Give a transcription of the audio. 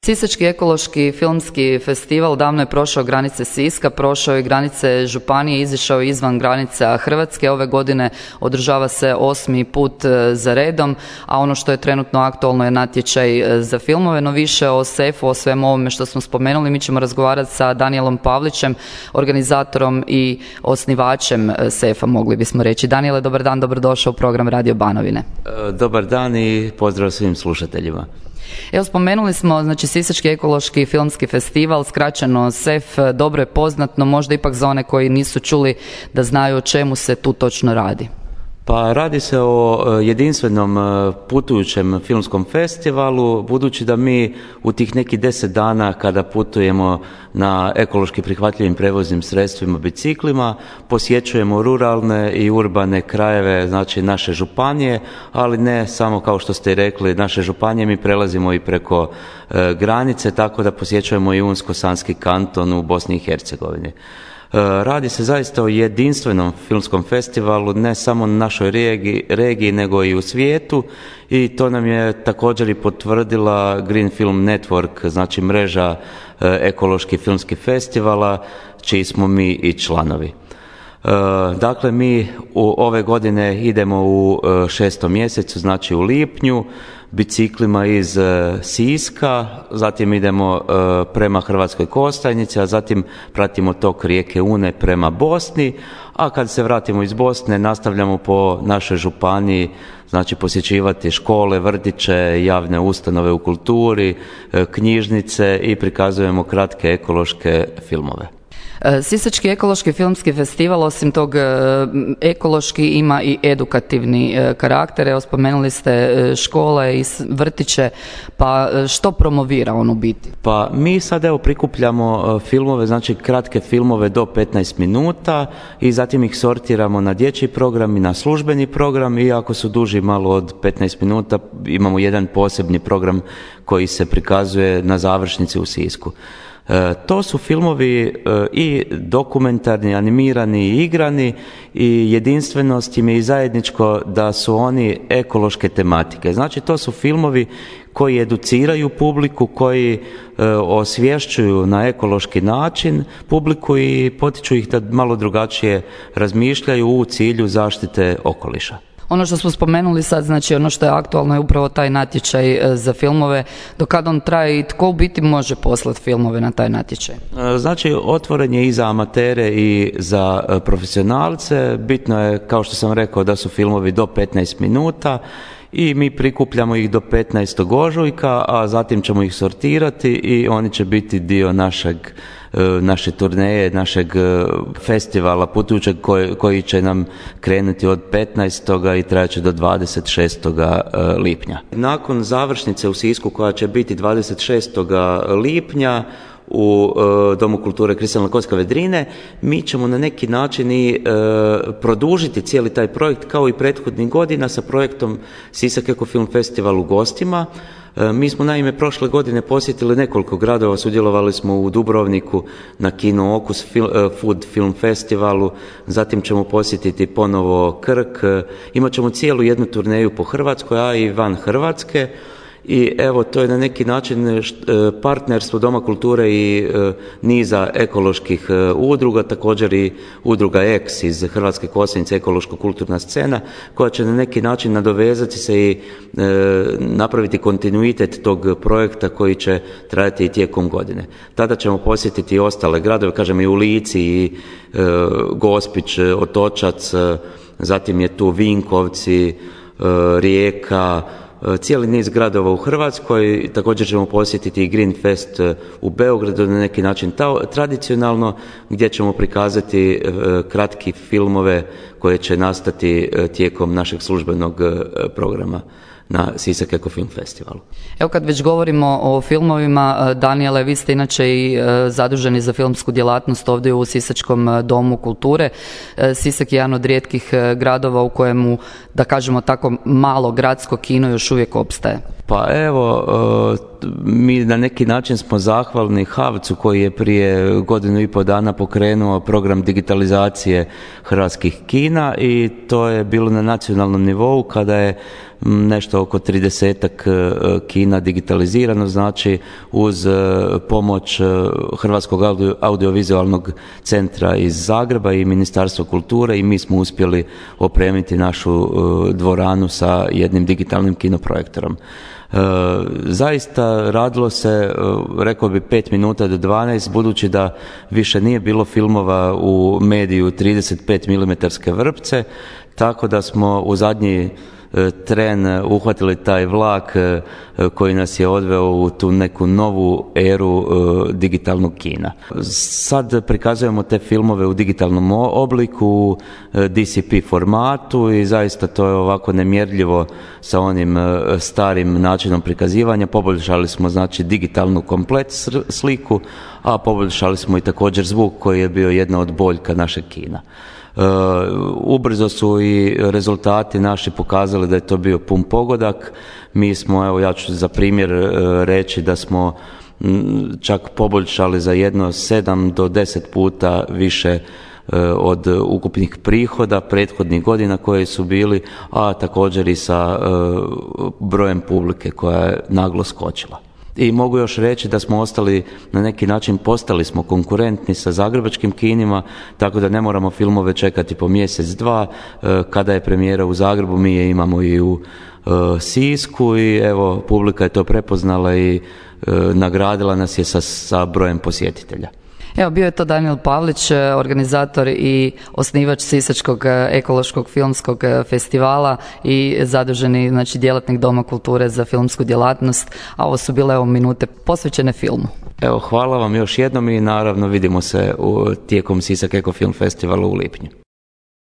Sisački ekološki filmski festival davno je prošao granice Siska, prošao je granice županije, izišao izvan granica Hrvatske. Ove godine održava se 8. put za redom, a ono što je trenutno aktualno je natječaj za filmove. No više o SEF-u, o svemu ovome što smo spomenuli, mi ćemo razgovarati sa Danijelom Pavlićem, organizatorom i osnivačem SEF-a, mogli bismo reći. Danijele, dobar dan, dobrodošao u program Radio Banovine. Dobar dan i pozdrav svim slušateljima. Evo, spomenuli smo, znači, Sisački ekološki filmski festival, skraćeno SEF, dobro je poznat, no možda ipak za one koji nisu čuli da znaju o čemu se tu točno radi. Pa radi se o jedinstvenom putujućem filmskom festivalu, budući da mi u tih nekih 10 dana kada putujemo na ekološki prihvatljivim prevoznim sredstvima, biciklima, posjećujemo ruralne i urbane krajeve, znači naše županije, ali ne samo kao što ste rekli naše županije, mi prelazimo i preko granice, tako da posjećujemo i Unsko-Sanski kanton u Bosni i Hercegovini. Radi se zaista o jedinstvenom filmskom festivalu, ne samo na našoj regiji, nego i u svijetu, i to nam je također i potvrdila Green Film Network, znači mreža ekoloških filmskih festivala, čiji smo mi i članovi. Dakle, mi ove godine idemo u 6. mjesecu, znači u lipnju, biciklima iz Siska, zatim idemo prema Hrvatskoj Kostajnici, a zatim pratimo tok rijeke Une prema Bosni, a kad se vratimo iz Bosne nastavljamo po našoj županiji, znači posjećivati škole, vrtiće, javne ustanove u kulturi, knjižnice i prikazujemo kratke ekološke filmove. Sisački ekološki filmski festival osim tog ekološki ima i edukativni karakter. Evo, spomenuli ste škole i vrtiće, pa što promovira on u biti? Pa mi sad evo prikupljamo filmove, znači kratke filmove do 15 minuta i zatim ih sortiramo na dječji program i na službeni program, i ako su duži malo od 15 minuta imamo jedan posebni program koji se prikazuje na završnici u Sisku. To su filmovi i dokumentarni, animirani i igrani, i jedinstvenost im je i zajedničko da su oni ekološke tematike. Znači to su filmovi koji educiraju publiku, koji osvješćuju na ekološki način publiku i potiču ih da malo drugačije razmišljaju u cilju zaštite okoliša. Ono što smo spomenuli sad, znači ono što je aktualno je upravo taj natječaj za filmove. Do kada on traje i tko u biti može poslati filmove na taj natječaj? Znači otvoren je i za amatere i za profesionalce. Bitno je, kao što sam rekao, da su filmovi do 15 minuta i mi prikupljamo ih do 15. ožujka, a zatim ćemo ih sortirati i oni će biti dio naše turneje, našeg festivala putujućeg koji će nam krenuti od 15. i trajaće do 26. lipnja. Nakon završnice u Sisku koja će biti 26. lipnja u Domu kulture Kristalna kocka Vedrine, mi ćemo na neki način i produžiti cijeli taj projekt kao i prethodnih godina sa projektom Sisak Eko Film Festival u gostima. Mi smo naime prošle godine posjetili nekoliko gradova, sudjelovali smo u Dubrovniku na Kino Okus Food Film Festivalu, zatim ćemo posjetiti ponovo Krk, imat ćemo cijelu jednu turneju po Hrvatskoj, a i van Hrvatske. I evo, to je na neki način partnerstvo Doma kulture i niza ekoloških udruga, također i udruga X iz Hrvatske Kostajnice, ekološko-kulturna scena, koja će na neki način nadovezati se i napraviti kontinuitet tog projekta koji će trajati i tijekom godine. Tada ćemo posjetiti i ostale gradove, kažem i u Lici, i Gospić, Otočac, zatim je tu Vinkovci, Rijeka, cijeli niz gradova u Hrvatskoj. Također ćemo posjetiti i Green Fest u Beogradu, na neki način tradicionalno, gdje ćemo prikazati kratki filmove koje će nastati tijekom našeg službenog programa na Sisak Eko Film Festivalu. Evo, kad već govorimo o filmovima, Danijele, vi ste inače i zaduženi za filmsku djelatnost ovdje u Sisačkom domu kulture. Sisak je jedan od rijetkih gradova u kojemu, da kažemo tako, malo gradsko kino još uvijek opstaje. Pa evo, mi na neki način smo zahvalni HAVC-u koji je prije 1.5 dana pokrenuo program digitalizacije hrvatskih kina i to je bilo na nacionalnom nivou kada je nešto oko 30-ak kina digitalizirano, znači uz pomoć Hrvatskog audiovizualnog centra iz Zagreba i Ministarstva kulture i mi smo uspjeli opremiti našu dvoranu sa jednim digitalnim kinoprojektorom. Zaista radilo se, rekao bi 5 minuta do 12, budući da više nije bilo filmova u mediju 35 mm vrpce, tako da smo u zadnji tren uhvatili taj vlak koji nas je odveo u tu neku novu eru digitalnog kina. Sad prikazujemo te filmove u digitalnom obliku, u DCP formatu i zaista to je ovako nemjerljivo sa onim starim načinom prikazivanja. Poboljšali smo znači digitalnu komplet sliku, a poboljšali smo i također zvuk koji je bio jedna od boljka našeg kina. Ubrzo su i rezultati naši pokazali da je to bio pun pogodak. Mi smo, evo ja ću za primjer reći da smo čak poboljšali za jedno 7 do 10 puta više od ukupnih prihoda prethodnih godina koje su bili, a također i sa brojem publike koja je naglo skočila. I mogu još reći da smo ostali, na neki način postali smo konkurentni sa zagrebačkim kinima, tako da ne moramo filmove čekati po mjesec, dva. Kada je premijera u Zagrebu, mi je imamo i u Sisku i evo, publika je to prepoznala i nagradila nas je sa brojem posjetitelja. Evo, bio je to Danijel Pavlić, organizator i osnivač Sisačkog ekološkog filmskog festivala i zaduženi, znači, djelatnik Doma kulture za filmsku djelatnost, a ovo su bile minute posvećene filmu. Evo, hvala vam još jednom i naravno vidimo se tijekom Sisak Eko Film Festivala u lipnju.